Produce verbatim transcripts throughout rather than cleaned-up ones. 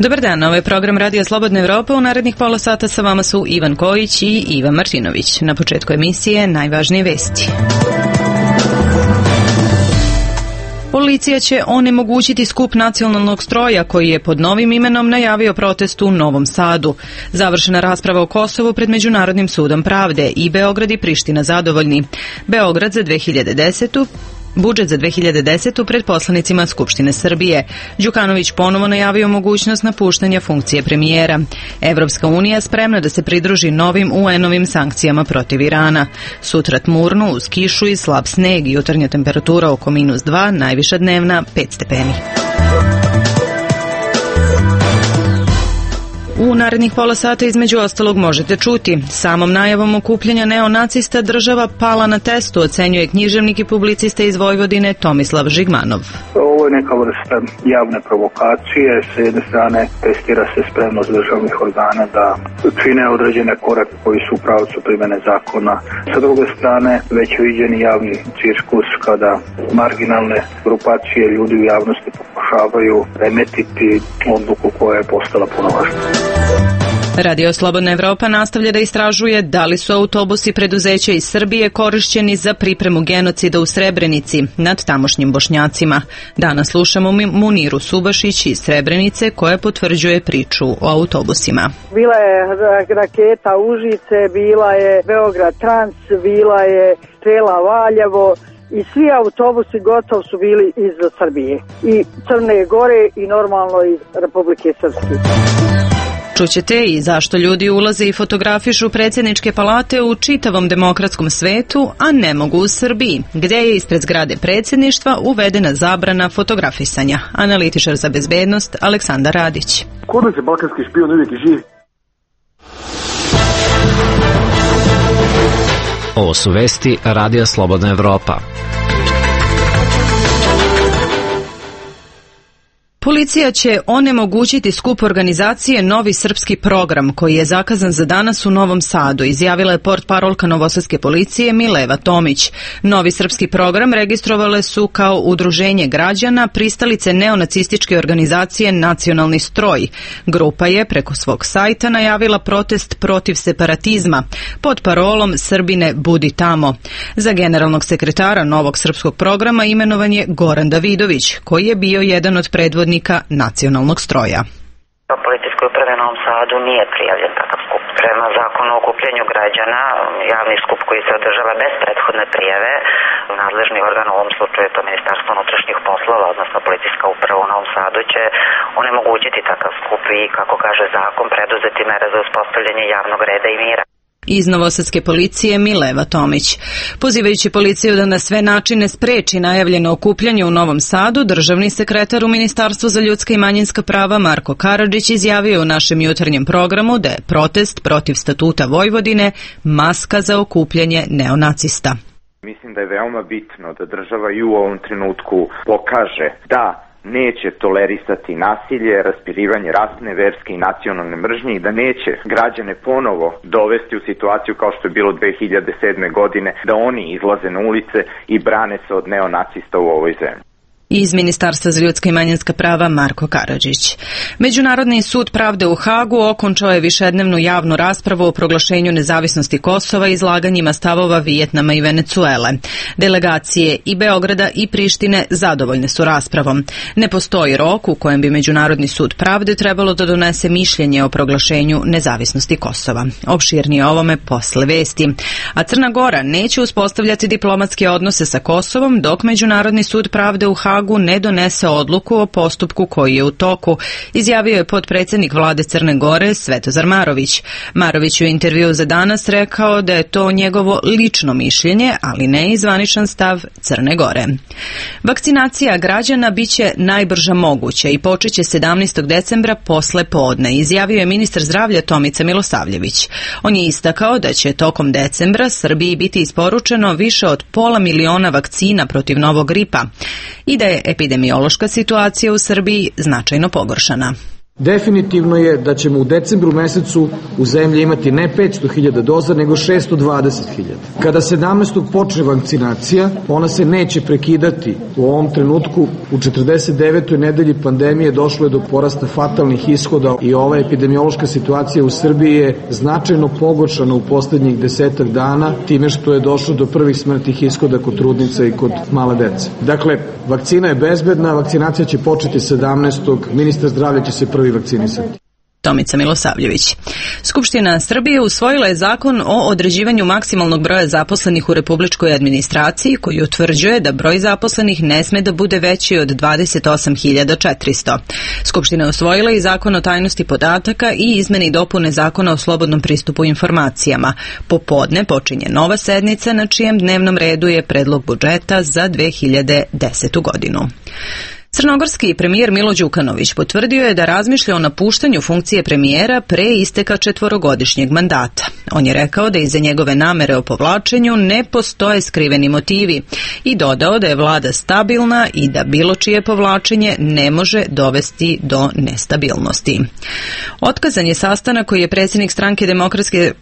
Dobar dan, ovo je program Radio Slobodna Evropa. U narednih pola sata sa vama su Ivan Kojić i Ivan Martinović. Na početku emisije najvažnije vesti. Policija će onemogućiti skup nacionalnog stroja koji je pod novim imenom najavio protest u Novom Sadu. Završena rasprava o Kosovu pred Međunarodnim sudom pravde i Beograd i Priština zadovoljni. Beograd za dve hiljade desetu. Budžet za dve hiljade desetu pred poslanicima Skupštine Srbije. Đukanović ponovo najavio mogućnost napuštanja funkcije premijera. Evropska unija spremna da se pridruži novim U N-ovim sankcijama protiv Irana. Sutra tmurno uz kišu i slab sneg, jutarnja temperatura oko minus dva, najviša dnevna pet stepeni. U narednih pola sata između ostalog možete čuti. Samom najavom okupljanja neonacista država pala na testu, ocenjuje književnik i publicista iz Vojvodine Tomislav Žigmanov. Ovo je neka vrsta javne provokacije. S jedne strane testira se spremnost državnih organa da čine određene korake koji su u pravcu primjene zakona. Sa druge strane već viđeni javni cirkus kada marginalne grupacije ljudi u javnosti pokušavaju remetiti odluku koja je postala puno važna. Radio Slobodna Evropa nastavlja da istražuje da li su autobusi preduzeća iz Srbije korišćeni za pripremu genocida u Srebrenici nad tamošnjim Bošnjacima. Danas slušamo Muniru Subašić iz Srebrenice koja potvrđuje priču o autobusima. Bila je raketa Užice, bila je Beograd Trans, bila je Strela Valjevo i svi autobusi gotovo su bili iz Srbije. I Crne Gore i normalno iz Republike Srpske. Čućete i zašto ljudi ulaze i fotografišu predsjedničke palate u čitavom demokratskom svetu, a ne mogu u Srbiji, gdje je ispred zgrade predsjedništva uvedena zabrana fotografisanja. Analitičar za bezbednost Aleksandar Radić. Kod nas je balkanski špijun uvijek živ. Ovo su vesti Radija Slobodna Evropa. Policija će onemogućiti skup organizacije Novi srpski program, koji je zakazan za danas u Novom Sadu, izjavila je portparolka Novosadske policije Mileva Tomić. Novi srpski program registrovale su kao udruženje građana pristalice neonacističke organizacije Nacionalni stroj. Grupa je preko svog sajta najavila protest protiv separatizma pod parolom Srbine budi tamo. Za generalnog sekretara Novog srpskog programa imenovan je Goran Davidović, koji je bio jedan od predvodnika Nacionalnog stroja. Policijskoj upravi u Novom Sadu nije prijavljen takav skup. Prema zakonu o okupljanju građana, javni skup koji se održava bez prethodne prijave, nadležni organ, u ovom slučaju je to Ministarstvo unutrašnjih poslova, odnosno Policijska uprava u Novom Sadu, će onemogućiti takav skup i, kako kaže zakon, preduzeti mere za uspostavljanje javnog reda i mira. Iz Novosadske policije Mileva Tomić. Pozivajući policiju da na sve načine spreči najavljeno okupljanje u Novom Sadu, državni sekretar u Ministarstvu za ljudska i manjinska prava Marko Karadžić izjavio u našem jutarnjem programu da je protest protiv statuta Vojvodine maska za okupljanje neonacista. Mislim da je veoma bitno da država i u ovom trenutku pokaže da neće tolerisati nasilje, raspirivanje rasne, verske i nacionalne mržnje i da neće građane ponovo dovesti u situaciju kao što je bilo dve hiljade sedme. godine, da oni izlaze na ulice i brane se od neonacista u ovoj zemlji. Iz Ministarstva za ljudska i manjinska prava Marko Karadžić. Međunarodni sud pravde u Hagu okončao je višednevnu javnu raspravu o proglašenju nezavisnosti Kosova i izlaganjima stavova Vijetnama i Venecuele. Delegacije i Beograda i Prištine zadovoljne su raspravom. Ne postoji rok u kojem bi Međunarodni sud pravde trebalo da donese mišljenje o proglašenju nezavisnosti Kosova. Opširnije ovome posle vesti. A Crna Gora neće uspostavljati diplomatske odnose sa Kosovom dok Međunarodni sud pravde u Hagu ne donese odluku o postupku koji je u toku, izjavio je potpredsjednik vlade Crne Gore Svetozar Marović. Marović u intervjuu za danas rekao da je to njegovo lično mišljenje, ali ne i zvaničan stav Crne Gore. Vakcinacija građana biće najbrža moguća i počeće sedamnaestog decembra posle podne, izjavio je ministar zdravlja Tomica Milosavljević. On je istakao da će tokom decembra Srbiji biti isporučeno više od pola miliona vakcina protiv novog gripa i da je epidemiološka situacija u Srbiji značajno pogoršana. Definitivno je da ćemo u decembru mesecu u zemlji imati ne petsto hiljada doza, nego šesto dvadeset hiljada. Kada sedamnaestog počne vakcinacija, ona se neće prekidati. U ovom trenutku, u četrdeset devetoj nedelji pandemije došlo je do porasta fatalnih ishoda i ova epidemiološka situacija u Srbiji je značajno pogoršana u poslednjih desetak dana time što je došlo do prvih smrtnih ishoda kod trudnica i kod male dece. Dakle, vakcina je bezbedna, vakcinacija će početi sedamnaestog Ministar zdravlja će se prvi vakcinisati. Tomica Milosavljević. Skupština Srbije usvojila je zakon o određivanju maksimalnog broja zaposlenih u republičkoj administraciji koji utvrđuje da broj zaposlenih ne sme da bude veći od dvadeset osam hiljada četiristo. Skupština je usvojila i zakon o tajnosti podataka i izmene i dopune zakona o slobodnom pristupu informacijama. Popodne počinje nova sednica na čijem dnevnom redu je predlog budžeta za dve hiljade desetu godinu. Crnogorski premijer Milo Đukanović potvrdio je da razmišlja o napuštanju funkcije premijera pre isteka četvorogodišnjeg mandata. On je rekao da iza njegove namere o povlačenju ne postoje skriveni motivi i dodao da je vlada stabilna i da bilo čije povlačenje ne može dovesti do nestabilnosti. Otkazan je sastanak koji je predsjednik stranke Demokratske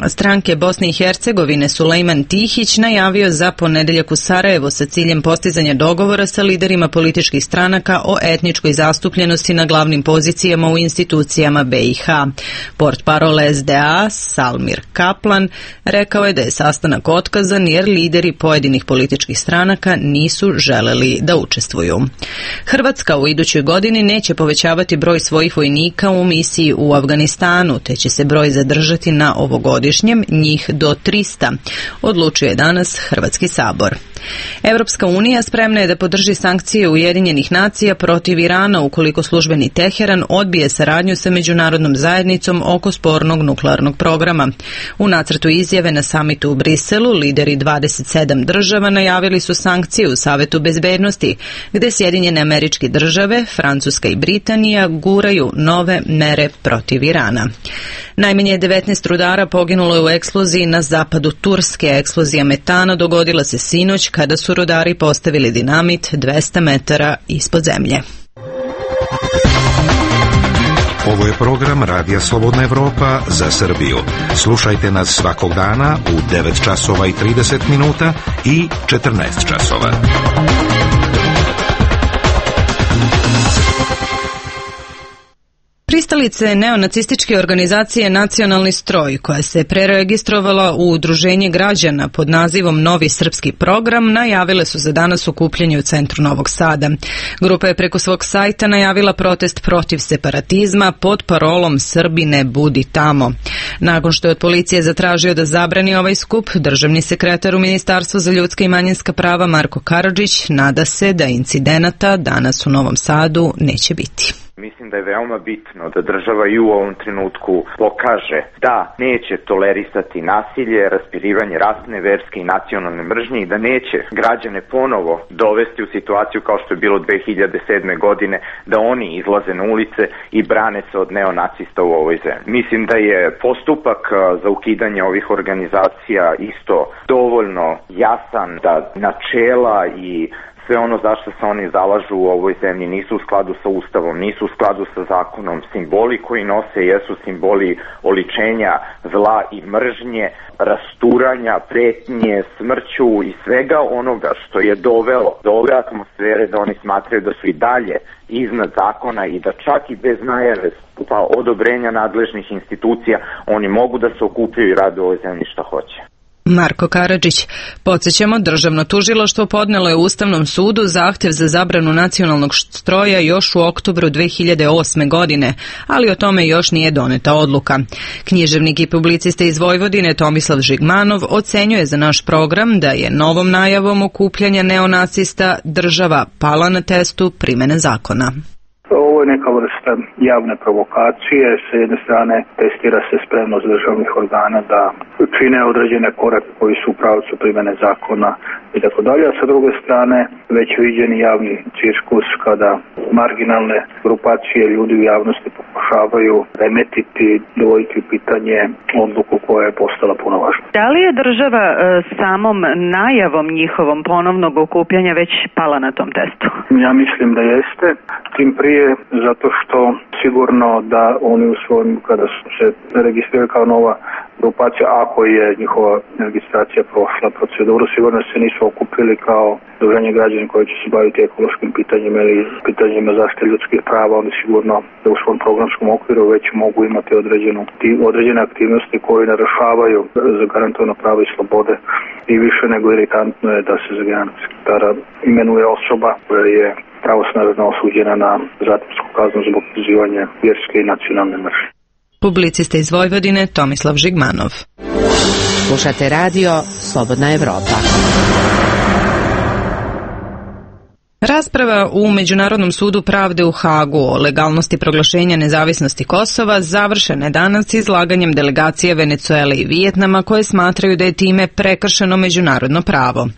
stranke Bosne i Hercegovine Sulejman Tihić najavio za ponedeljak u Sarajevo sa ciljem postizanja dogovora sa liderima političkih stranaka o etničkoj zastupljenosti na glavnim pozicijama u institucijama B i H. Portparol S D A Salmir Kaplan rekao je da je sastanak otkazan jer lideri pojedinih političkih stranaka nisu želeli da učestvuju. Hrvatska u idućoj godini neće povećavati broj svojih vojnika u misiji u Afganistanu, te će se broj zadržati na ovogodišnjem godišnjem, njih do trista, odlučuje danas Hrvatski sabor. Europska unija spremna je da podrži sankcije Ujedinjenih nacija protiv Irana ukoliko službeni Teheran odbije saradnju sa međunarodnom zajednicom oko spornog nuklearnog programa. U nacrtu izjave na samitu u Briselu lideri dvadeset sedam država najavili su sankcije u Savetu bezbednosti, gde Sjedinjene Američke Države, Francuska i Britanija guraju nove mere protiv Irana. Najmanje devetnaest rudara poginulo je u eksploziji na zapadu Turske. Eksplozija metana dogodila se sinoć kada su rudari postavili dinamit dvesta metara ispod zemlje. Ovo je program Radija Slobodna Evropa za Srbiju. Slušajte nas svakog dana u devet časova i trideset minuta i četrnaest časova. Pristalice neonacističke organizacije Nacionalni stroj, koja se preregistrovala u udruženje građana pod nazivom Novi srpski program, najavile su za danas okupljanje u centru Novog Sada. Grupa je preko svog sajta najavila protest protiv separatizma pod parolom Srbi ne budi tamo. Nakon što je od policije zatražio da zabrani ovaj skup, državni sekretar u Ministarstvu za ljudska i manjinska prava Marko Karadžić nada se da incidenata danas u Novom Sadu neće biti. Mislim da je veoma bitno da država i u ovom trenutku pokaže da neće tolerisati nasilje, raspirivanje rasne, verske i nacionalne mržnje i da neće građane ponovo dovesti u situaciju kao što je bilo dve hiljade sedme godine, da oni izlaze na ulice i brane se od neonacista u ovoj zemlji. Mislim da je postupak za ukidanje ovih organizacija isto dovoljno jasan, da načela i sve ono zašto se oni zalažu u ovoj zemlji nisu u skladu sa Ustavom, nisu u skladu sa zakonom. Simboli koji nose jesu simboli oličenja zla i mržnje, rasturanja, pretnje, smrću i svega onoga što je dovelo do ove atmosfere da oni smatraju da su i dalje iznad zakona i da čak i bez najave pa odobrenja nadležnih institucija oni mogu da se okupljaju i rade u ovoj zemlji šta hoće. Marko Karadžić. Podsjećamo, državno tužilaštvo podnelo je Ustavnom sudu zahtev za zabranu nacionalnog stroja još u oktobru dve hiljade osme. godine, ali o tome još nije doneta odluka. Književnik i publicista iz Vojvodine Tomislav Žigmanov ocenjuje za naš program da je novom najavom okupljanja neonacista država pala na testu primene zakona. Ovo je neka vrsta javne provokacije. Sa jedne strane testira se spremnost državnih organa da čine određene korake koji su u pravcu primjene zakona i tako dalje, a sa druge strane već viđeni javni cirkus kada marginalne grupacije ljudi u javnosti pokušavaju remetiti, dovoditi u pitanje odluku koja je postala puno važna. Da li je država e, samom najavom njihovom ponovnog okupljanja već pala na tom testu? Ja mislim da jeste, tim prije zato što sigurno da oni u svojim, kada su se registrirali kao nova grupacija, ako je njihova registracija prošla proceduru, sigurno se nisu okupili kao udruženje građana koji će se baviti ekološkim pitanjima ili pitanjima zaštite ljudskih prava. Oni sigurno da u svom programskom okviru već mogu imati određenu, određene aktivnosti koje narušavaju zagarantovano pravo i slobode. I više nego iritantno je da se za generalnog sekretara imenuje osoba koja je pravosnažno osuđena na zatvorsku kaznu zbog pozivanja vjerske i nacionalne mržnje. Publicista iz Vojvodine Tomislav Žigmanov. Slušate radio Slobodna Evropa. Rasprava u Međunarodnom sudu pravde u Hagu o legalnosti proglašenja nezavisnosti Kosova završena je danas izlaganjem delegacije Venecuele i Vijetnama koje smatraju da je time prekršeno međunarodno pravo.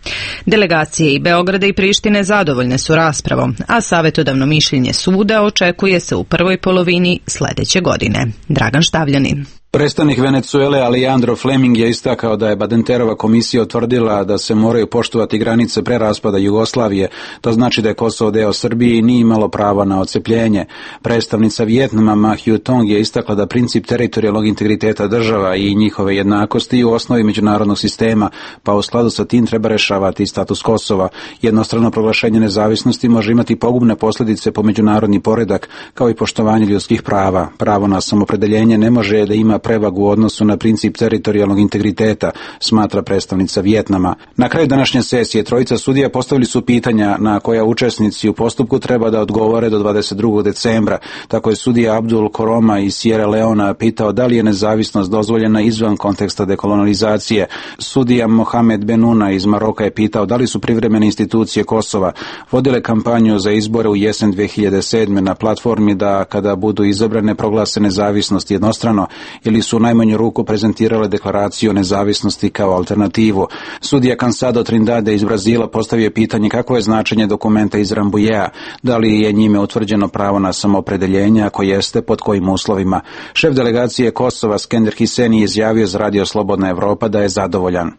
Delegacije i Beograda i Prištine zadovoljne su raspravom, a savjetodavno mišljenje suda očekuje se u prvoj polovini sljedeće godine. Dragan Štavljanin. Predstavnik Venecuele Alejandro Fleming je istakao da je Badenterova komisija utvrdila da se moraju poštovati granice pre raspada Jugoslavije, to znači da je Kosovo deo Srbije i nije imalo pravo na odcepljenje. Predstavnica Vijetnama Ma Hyu Tong je istakla da princip teritorijalnog integriteta država i njihove jednakosti u osnovi međunarodnog sistema, pa u skladu sa tim treba rešavati status Kosova. Jednostrano proglašenje nezavisnosti može imati pogubne posljedice po međunarodni poredak, kao i poštovanje ljudskih prava. Pravo na samopredeljenje ne može da ima prevagu u odnosu na princip teritorijalnog integriteta, smatra predstavnica Vijetnama. Na kraju današnje sesije trojica sudija postavili su pitanja na koja učesnici u postupku treba da odgovore do dvadeset drugog decembra. Tako je sudija Abdul Koroma iz Sierra Leona pitao da li je nezavisnost dozvoljena izvan konteksta dekolonizacije. Sudija Mohamed Benuna iz Maroka je pitao da li su privremene institucije Kosova vodile kampanju za izbore u jesen dve hiljade sedme na platformi da kada budu izabrane proglase nezavisnost jednostrano ili su u najmanju ruku prezentirale deklaraciju o nezavisnosti kao alternativu. Sudija Cansado Trindade iz Brazila postavio pitanje kako je značenje dokumenta iz Rambujea, da li je njime utvrđeno pravo na samoopredeljenje, ako jeste, pod kojim uslovima. Šef delegacije Kosova Skender Hiseni je izjavio za Radio Slobodna Evropa da je zadovoljan.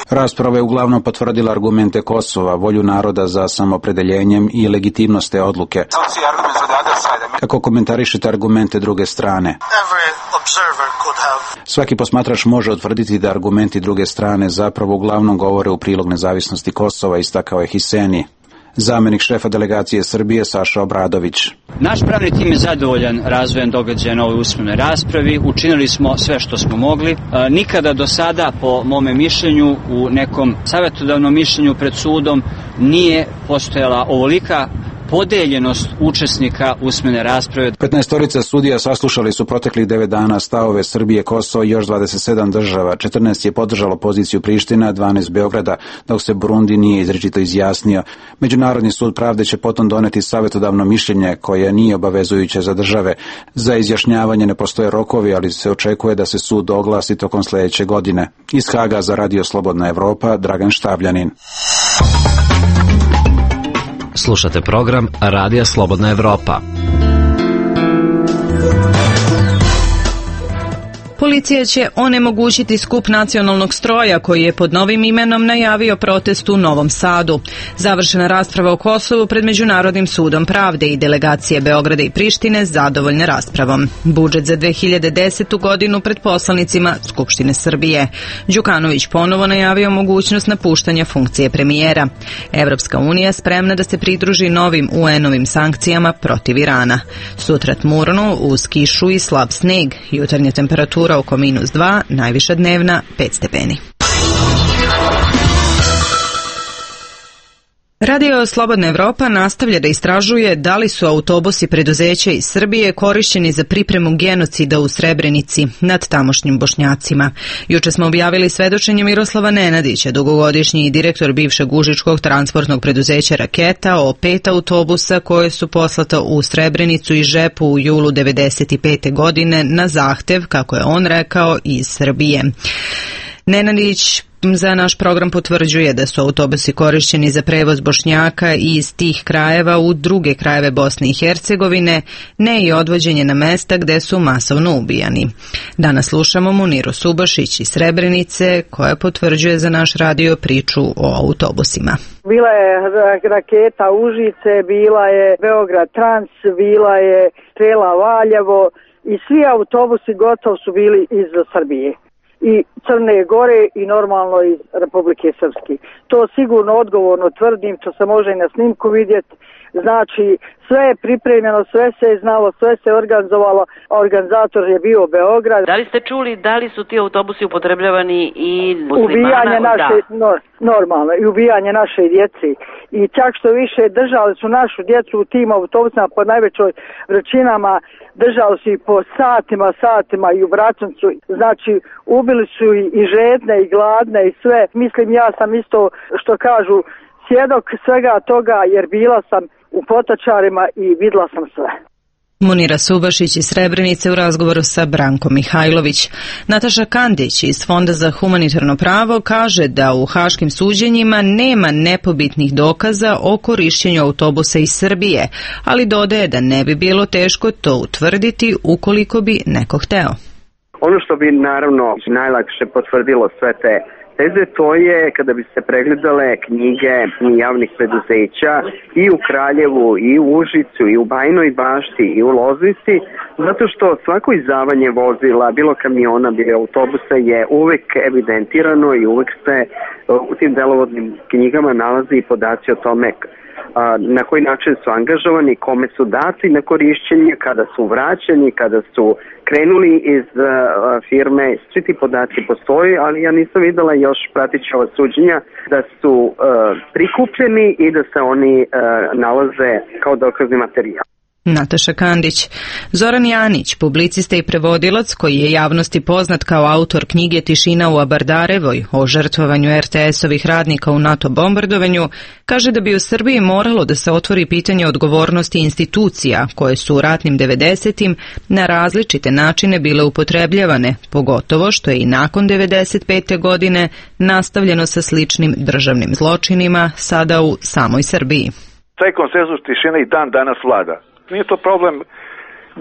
Rasprava je uglavnom potvrdila argumente Kosova, volju naroda za samoopredeljenjem i legitimnost te odluke. Kako komentarišete argumente druge strane? Svaki posmatrač može utvrditi da argumenti druge strane zapravo uglavnom govore u prilog nezavisnosti Kosova, istakao je Hiseni. Zamenik šefa delegacije Srbije Saša Obradović. Naš pravni tim je zadovoljan razvojem događaja na ovoj usmenoj raspravi. Učinili smo sve što smo mogli. Nikada do sada, po mome mišljenju, u nekom savjetodavnom mišljenju pred sudom nije postojala ovolika podeljenost učesnika usmene rasprave. petnaestorica sudija saslušali su proteklih devet dana stavove Srbije, Kosovo i još dvadeset sedam država. četrnaest je podržalo poziciju Priština, dvanaest Beograda, dok se Burundi nije izričito izjasnio. Međunarodni sud pravde će potom doneti savjetodavno mišljenje koje nije obavezujuće za države. Za izjašnjavanje ne postoje rokovi, ali se očekuje da se sud oglasi tokom sljedeće godine. Iz Haga za Radio Slobodna Evropa, Dragan Štavljanin. Slušate program Radija Slobodna Evropa. Policija će onemogućiti skup nacionalnog stroja koji je pod novim imenom najavio protest u Novom Sadu. Završena rasprava o Kosovu pred Međunarodnim sudom pravde i delegacije Beograda i Prištine zadovoljne raspravom. Budžet za dve hiljade desetu godinu pred poslanicima Skupštine Srbije. Đukanović ponovo najavio mogućnost napuštanja funkcije premijera. Evropska unija spremna da se pridruži novim U N-ovim sankcijama protiv Irana. Sutra tmurno uz kišu i slab sneg. Jutarnja temperatura oko minus dva, najviša dnevna pet stepeni. Radio Slobodna Evropa nastavlja da istražuje da li su autobusi preduzeća iz Srbije korišćeni za pripremu genocida u Srebrenici nad tamošnjim Bošnjacima. Juče smo objavili svedočenje Miroslava Nenadića, dugogodišnji direktor bivšeg užičkog transportnog preduzeća Raketa, o pet autobusa koje su poslata u Srebrenicu i Žepu u julu devedeset pete godine na zahtev, kako je on rekao, iz Srbije. Nenadić za naš program potvrđuje da su autobusi korišćeni za prevoz Bošnjaka iz tih krajeva u druge krajeve Bosne i Hercegovine, ne i odvođenje na mesta gde su masovno ubijani. Danas slušamo Muniru Subašić iz Srebrenice koja potvrđuje za naš radio priču o autobusima. Bila je raketa Užice, bila je Beograd Trans, bila je Strela Valjevo i svi autobusi gotovo su bili iz Srbije i Crne Gore i normalno iz Republike Srpske. To sigurno odgovorno tvrdim, to se može i na snimku vidjeti. Znači, sve je pripremljeno, sve se je znalo, sve se je organizovalo, a organizator je bio Beograd. Da li ste čuli da li su ti autobusi upotrebljavani i muslimana? Ubijanje naše, da. no, normalno, i ubijanje naše djece. I čak što više držali su našu djecu u tim autobusima po najvećoj vrućinama, držali su i po satima, satima i u Bračancu. Znači, ubili su i, i žedne i gladne i sve. Mislim, ja sam isto, što kažu, svjedok svega toga jer bila sam u Potočarima i videla sam sve. Munira Subašić iz Srebrenice u razgovoru sa Brankom Mihajlović. Nataša Kandić iz Fonda za humanitarno pravo kaže da u haškim suđenjima nema nepobitnih dokaza o korišćenju autobusa iz Srbije, ali dodaje da ne bi bilo teško to utvrditi ukoliko bi neko hteo. Ono što bi naravno najlakše potvrdilo sve te teze, to je kada bi se pregledale knjige javnih preduzeća i u Kraljevu, i u Užicu, i u Bajinoj Bašti, i u Loznici, zato što svako izdavanje vozila, bilo kamiona, bilo autobusa je uvek evidentirano i uvek se u tim delovodnim knjigama nalazi i podaci o tome na koji način su angažovani, kome su dati na korišćenje, kada su vraćeni, kada su krenuli iz uh, firme, svi ti podaci postoji, ali ja nisam videla još pratići ova suđenja da su uh, prikupljeni i da se oni uh, nalaze kao dokazni materijal. Nataša Kandić. Zoran Janić, publicista i prevodilac koji je javnosti poznat kao autor knjige Tišina u Abardarevoj o žrtvovanju er te esovih radnika u NATO bombardovanju, kaže da bi u Srbiji moralo da se otvori pitanje odgovornosti institucija koje su u ratnim devedesetim na različite načine bile upotrebljavane, pogotovo što je i nakon devedeset pete godine nastavljeno sa sličnim državnim zločinima sada u samoj Srbiji. Taj konsenzus tišine i dan danas vlada. Nije to problem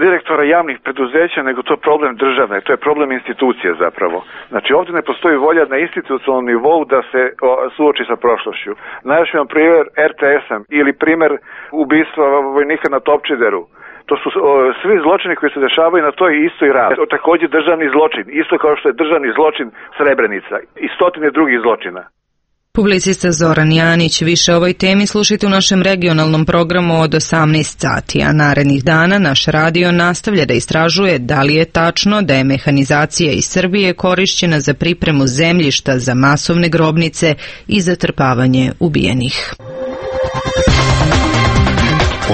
direktora javnih preduzeća, nego to problem države, to je problem institucije zapravo. Znači ovdje ne postoji volja na institucionalnom nivou da se o, suoči sa prošlošću. Najviše vam primjer er te esa ili primjer ubistva vojnika na Topčideru. To su o, svi zločini koji se dešavaju na toj istoj ravni. Također državni zločin, isto kao što je državni zločin Srebrenica i stotine drugih zločina. Publicista Zoran Janić. Više o ovoj temi slušajte u našem regionalnom programu od osamnaest sati, a narednih dana naš radio nastavlja da istražuje da li je tačno da je mehanizacija iz Srbije korišćena za pripremu zemljišta za masovne grobnice i zatrpavanje ubijenih.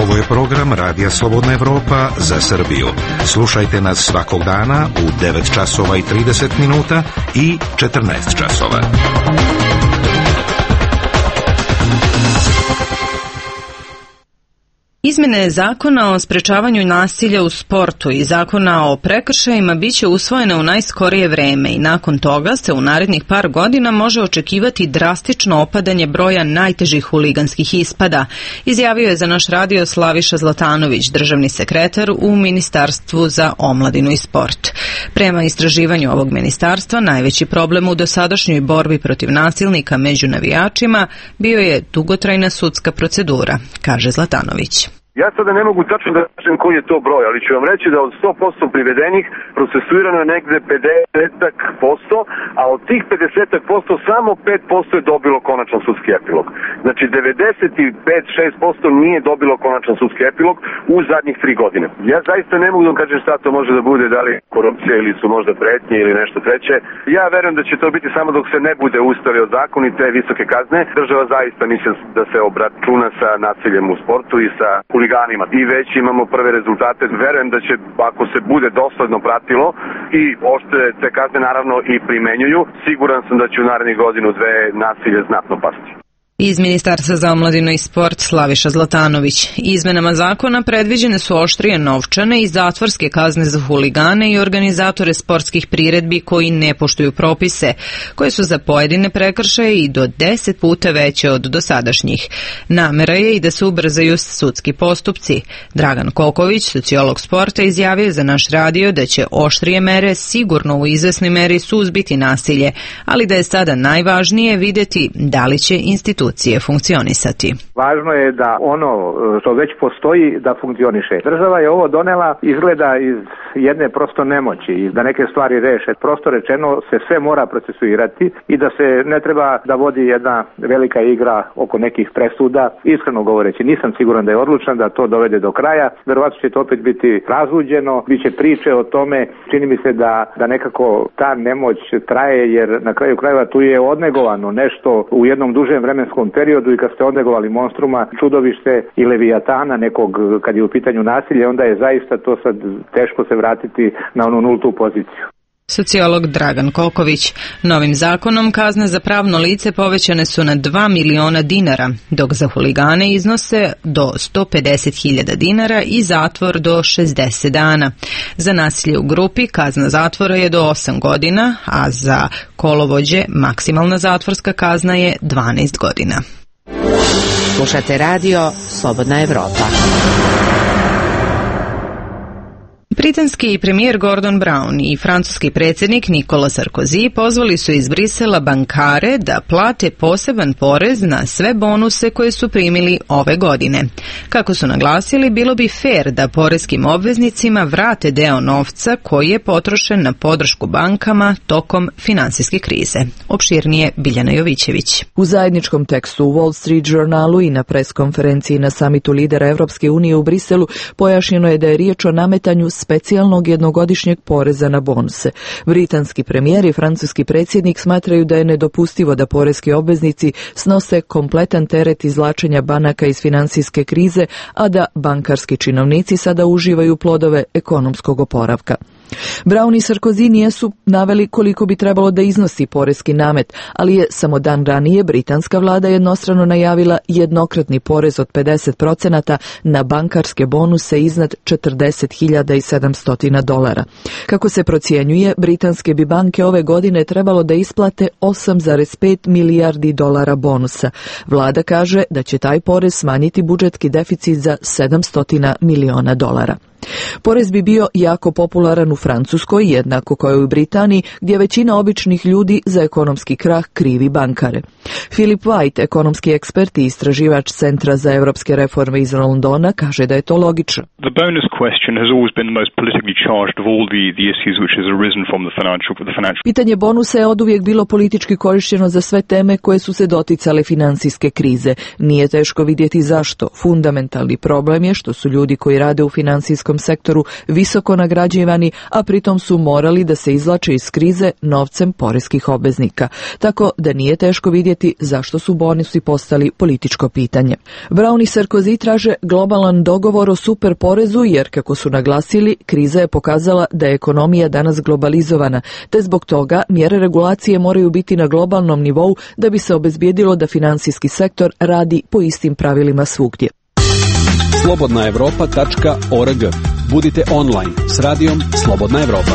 Ovo je program Radija Slobodna Evropa za Srbiju. Slušajte nas svakog dana u devet časova i trideset minuta i četrnaest časova. Izmene zakona o sprečavanju nasilja u sportu i zakona o prekršajima biće usvojene u najskorije vreme i nakon toga se u narednih par godina može očekivati drastično opadanje broja najtežih huliganskih ispada, izjavio je za naš radio Slaviša Zlatanović, državni sekretar u Ministarstvu za omladinu i sport. Prema istraživanju ovog ministarstva, najveći problem u dosadašnjoj borbi protiv nasilnika među navijačima bio je dugotrajna sudska procedura, kaže Zlatanović. Ja sada ne mogu tačno da kažem koji je to broj, ali ću vam reći da od sto posto privedenih procesuirano je negde pedeset posto, a od tih pedeset posto samo pet posto je dobilo konačan sudski epilog. Znači devedeset pet do šest posto nije dobilo konačan sudski epilog u zadnjih tri godine. Ja zaista ne mogu da kažem šta to može da bude, da li korupcija ili su možda pretnje ili nešto treće. Ja verujem da će to biti samo dok se ne bude ustavio zakon i te visoke kazne. Država zaista mislim da se obračuna sa nasiljem u sportu i sa huliganima. I već imamo prve rezultate. Verujem da će, ako se bude dosledno pratilo i oštre te kazne naravno i primenjuju, siguran sam da će u narednih godinu dve nasilje znatno pasti. Iz Ministarstva za omladinu i sport Slaviša Zlatanović. Izmenama zakona predviđene su oštrije novčane i zatvorske kazne za huligane i organizatore sportskih priredbi koji ne poštuju propise, koje su za pojedine prekršaje i do deset puta veće od dosadašnjih. Namera je i da se ubrzaju sudski postupci. Dragan Koković, sociolog sporta, izjavio za naš radio da će oštrije mere sigurno u izvesnoj meri suzbiti nasilje, ali da je sada najvažnije vidjeti da li će institucije institucije funkcionisati. Važno je da ono što već postoji da funkcioniše. Država je ovo donela izgleda iz jedne prosto nemoći i da neke stvari reše. Prosto rečeno se sve mora procesuirati i da se ne treba da vodi jedna velika igra oko nekih presuda. Iskreno govoreći, nisam siguran da je odlučan da to dovede do kraja. Verovatno će to opet biti razluđeno, biće priče o tome. Čini mi se da, da nekako ta nemoć traje, jer na kraju krajeva tu je odnegovano nešto u jednom dužem vremenskom periodu i kad ste odnegovali monstruma, čudovište i levijatana nekog kad je u pitanju nasilje, onda je zaista to sad teško se vratiti na onu nultu poziciju. Sociolog Dragan Koković. Novim zakonom kazne za pravno lice povećane su na dva miliona dinara, dok za huligane iznose do sto pedeset hiljada dinara i zatvor do šezdeset dana. Za nasilje u grupi kazna zatvora je do osam godina, a za kolovođe maksimalna zatvorska kazna je dvanaest godina. Slušate radio Slobodna Evropa. Britanski premijer Gordon Brown i francuski predsjednik Nicolas Sarkozy pozvali su iz Brisela bankare da plate poseban porez na sve bonuse koje su primili ove godine. Kako su naglasili, bilo bi fer da poreskim obveznicima vrate deo novca koji je potrošen na podršku bankama tokom finansijske krize. Opširnije Biljana Jovićević. U zajedničkom tekstu u Wall Street Journalu i na preskonferenciji na samitu lidera Evropske unije u Briselu pojašnjeno je da je riječ o nametanju specijalnog jednogodišnjeg poreza na bonuse. Britanski premijer i francuski predsjednik smatraju da je nedopustivo da poreski obveznici snose kompletan teret izvlačenja banaka iz finansijske krize, a da bankarski činovnici sada uživaju plodove ekonomskog oporavka. Brown i Sarkozy nisu naveli koliko bi trebalo da iznosi poreski namet, ali je samo dan ranije britanska vlada jednostrano najavila jednokratni porez od pedeset procenata na bankarske bonuse iznad četrdeset hiljada sedamsto dolara. Kako se procjenjuje, britanske bi banke ove godine trebalo da isplate osam zarez pet milijardi dolara bonusa. Vlada kaže da će taj porez smanjiti budžetski deficit za sedamsto miliona dolara. Porez bi bio jako popularan u Francuskoj, jednako kao i u Britaniji, gdje većina običnih ljudi za ekonomski krah krivi bankare. Philip White, ekonomski ekspert i istraživač Centra za evropske reforme iz Londona, kaže da je to logično. The bonus question has always been the most politically charged of all the, the issues which has arisen from the financial, the financial. Pitanje bonusa je oduvijek bilo politički korišteno za sve teme koje su se doticale financijske krize. Nije teško vidjeti zašto. Fundamentalni problem je što su ljudi koji rade u finansijskom sektoru visoko nagrađivani, a pritom su morali da se izvlače iz krize novcem poreskih obveznika. Tako da nije teško vidjeti zašto su bonusi postali političko pitanje. Brown i Sarkozy traže globalan dogovor o super porezu jer, kako su naglasili, kriza je pokazala da je ekonomija danas globalizovana, te zbog toga mjere regulacije moraju biti na globalnom nivou da bi se obezbijedilo da finansijski sektor radi po istim pravilima svugdje. slobodna evropa tačka org. Budite online s radijom Slobodna Evropa.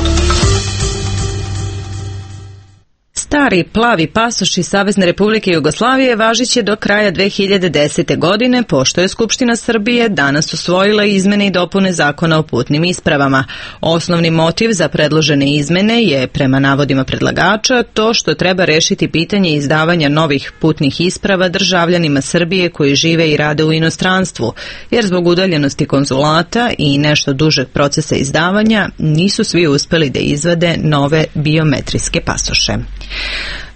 Stari plavi pasoš iz Savezne Republike Jugoslavije važit će do kraja dve hiljade desete. godine, pošto je Skupština Srbije danas usvojila izmene i dopune Zakona o putnim ispravama. Osnovni motiv za predložene izmene je, prema navodima predlagača, to što treba rešiti pitanje izdavanja novih putnih isprava državljanima Srbije koji žive i rade u inostranstvu, jer zbog udaljenosti konzulata i nešto dužeg procesa izdavanja nisu svi uspeli da izvade nove biometrijske pasoše.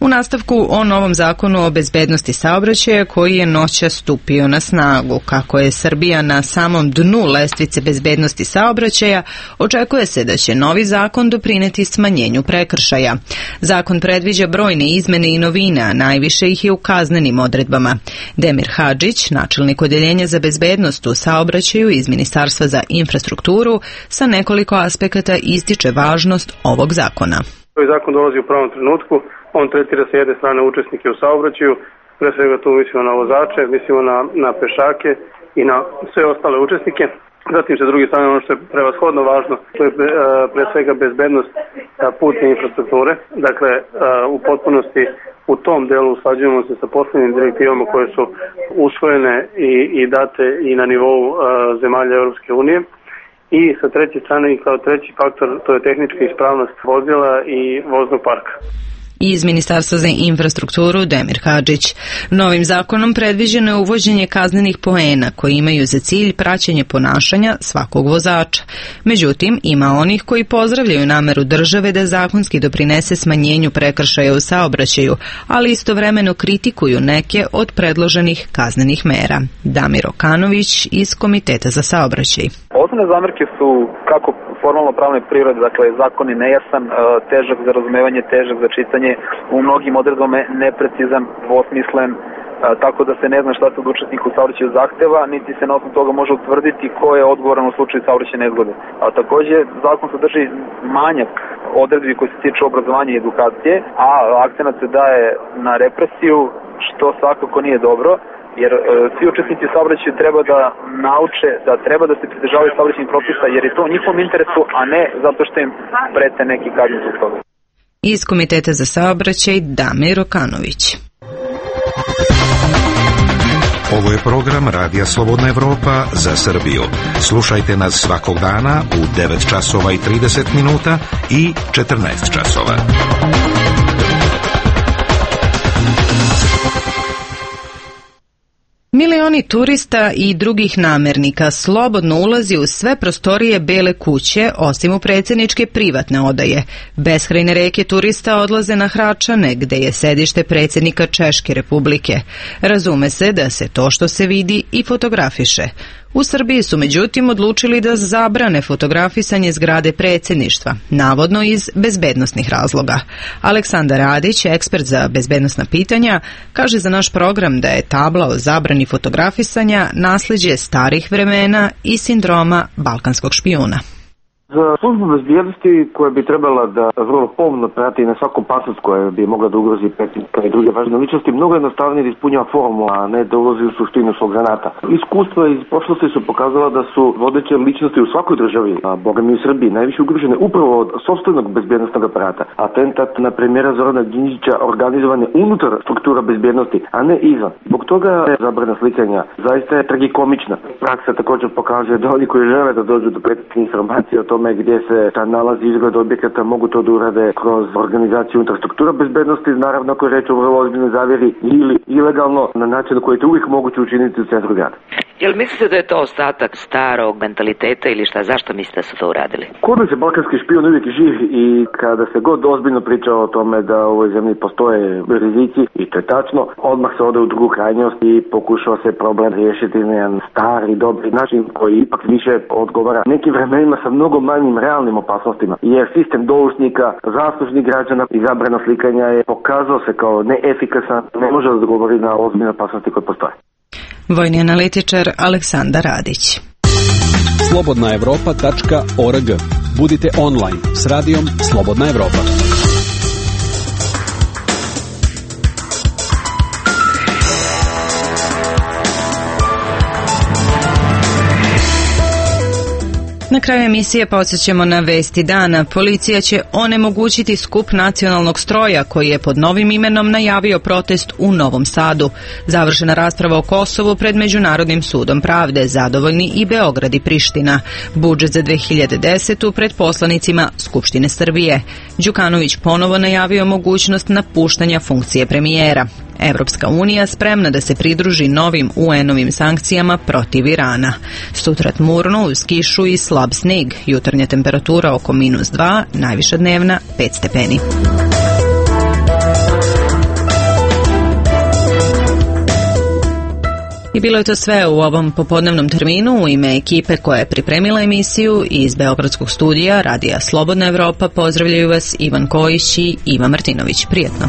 U nastavku o novom zakonu o bezbednosti saobraćaja koji je noćas stupio na snagu. Kako je Srbija na samom dnu lestvice bezbednosti saobraćaja, očekuje se da će novi zakon doprineti smanjenju prekršaja. Zakon predviđa brojne izmene i novine, a najviše ih je u kaznenim odredbama. Demir Hadžić, načelnik odeljenja za bezbednost u saobraćaju iz Ministarstva za infrastrukturu, sa nekoliko aspekata ističe važnost ovog zakona. Ovaj zakon dolazi u pravom trenutku, on tretira sa jedne strane učesnike u saobraćaju, pre svega tu mislimo na vozače, mislimo na, na pešake i na sve ostale učesnike. Zatim sa druge strane ono što je prevashodno važno, to je pre svega bezbednost putne infrastrukture. Dakle, u potpunosti u tom delu usklađujemo se sa poslednjim direktivama koje su usvojene i, i date i na nivou zemalja Europske unije. I sa treće strane i kao treći faktor to je tehnička ispravnost vozila i voznog parka. I iz Ministarstva za infrastrukturu Demir Hadžić. Novim zakonom predviđeno je uvođenje kaznenih poena koji imaju za cilj praćenje ponašanja svakog vozača. Međutim, ima onih koji pozdravljaju nameru države da zakonski doprinese smanjenju prekršaja u saobraćaju, ali istovremeno kritikuju neke od predloženih kaznenih mera. Damir Okanović iz Komiteta za saobraćaj. Osnovne zamerke su kako formalno pravne prirode, dakle zakon je nejasan, težak za razumevanje, težak za čitanje, u mnogim odredbama neprecizan, dvosmislen, tako da se ne zna šta se od učesnika u saobraćaju zahteva, niti se na osnovu toga može utvrditi ko je odgovoran u slučaju saobraćajne nezgode. A takođe zakon sadrži manjak odredbi koji se tiču obrazovanja i edukacije, a akcenat se daje na represiju, što svakako nije dobro, jer e, svi učesnici u saobraćaju treba da nauče da treba da se pridržavaju saobraćajnih propisa, jer je to u njihovom interesu, a ne zato što im prete neki kazni zbog toga. Iz Komiteta za saobraćaj Damir Okanović. Ovo je program Radija Slobodna Evropa za Srbiju. Slušajte nas svakog dana u devet časova i trideset minuta i četrnaest časova. Milioni turista i drugih namernika slobodno ulazi u sve prostorije Bele kuće, osim u predsjedničke privatne odaje. Beskrajne reke turista odlaze na Hračane, gde je sedište predsjednika Češke republike. Razume se da se to što se vidi i fotografiše. U Srbiji su međutim odlučili da zabrane fotografisanje zgrade predsjedništva, navodno iz bezbednosnih razloga. Aleksandar Radić, ekspert za bezbednosna pitanja, kaže za naš program da je tabla o zabrani fotografisanja nasljeđe starih vremena i sindroma balkanskog špijuna. Za službu bezbjednosti koja bi trebala da vrlo pomno prati na svaku opasnost koja bi mogla da ugrozi predsjednika i druge važne ličnosti, mnogo jednostavnije da ispunjava formu, a ne da ulazi u suštinu svog zanata. Iskustva iz prošlosti su pokazala da su vodeće ličnosti u svakoj državi, a boga mi u Srbiji, najviše ugrožene upravo od sopstvenog bezbjednostnog aparata. Atentat na premijera Zorana Đinđića organizovan je unutar struktura bezbjednosti, a ne izvan. Zbog toga je zabrana slikanja zaista je tragikomična. Praksa također pokazuje da oni koji žele da dođu do prethodnih informacija o tome gdje se ta nalazi izgled objekata mogu to da urade kroz organizaciju infrastruktura bezbednosti, naravno ako je reč o vrlo ozbiljnoj zavjeri ili ilegalno na način na koji je to uvijek moguće učiniti u centru grada. Jel mislite da je to ostatak starog mentaliteta ili šta? Zašto mislite da su to uradili? Kod nas je balkanski špijun uvijek živ i kada se god ozbiljno priča o tome da u ovoj zemlji postoje rizici, i to je tačno, odmah se ode u drugu krajnjost i pokušava se problem riješiti na jedan stari, dobri način koji ipak više odgovara nekim vremenima sa mnogo manjim realnim opasnostima, jer sistem doušnika, zaslužnih građana i zabrana slikanja je pokazao se kao neefikasan, ne može odgovori na ozbiljne opasnosti koje postoje. Vojni analitičar Aleksandar Radić. slobodna evropa tačka org. Budite online s radijom Slobodna Evropa. Na kraju emisije podsjećamo na vesti dana. Policija će onemogućiti skup nacionalnog stroja koji je pod novim imenom najavio protest u Novom Sadu. Završena rasprava o Kosovu pred Međunarodnim sudom pravde, zadovoljni i Beograd i Priština. Budžet za dve hiljade desetu pred poslanicima Skupštine Srbije. Đukanović ponovo najavio mogućnost napuštanja funkcije premijera. Evropska unija spremna da se pridruži novim U N-ovim sankcijama protiv Irana. Sutra tmurno uz kišu i slab sneg, jutarnja temperatura oko minus dva, najviša dnevna pet stepeni. I bilo je to sve u ovom popodnevnom terminu. U ime ekipe koja je pripremila emisiju iz Beogradskog studija Radija Slobodna Evropa pozdravljaju vas Ivan Kojić i Iva Martinović. Prijetno.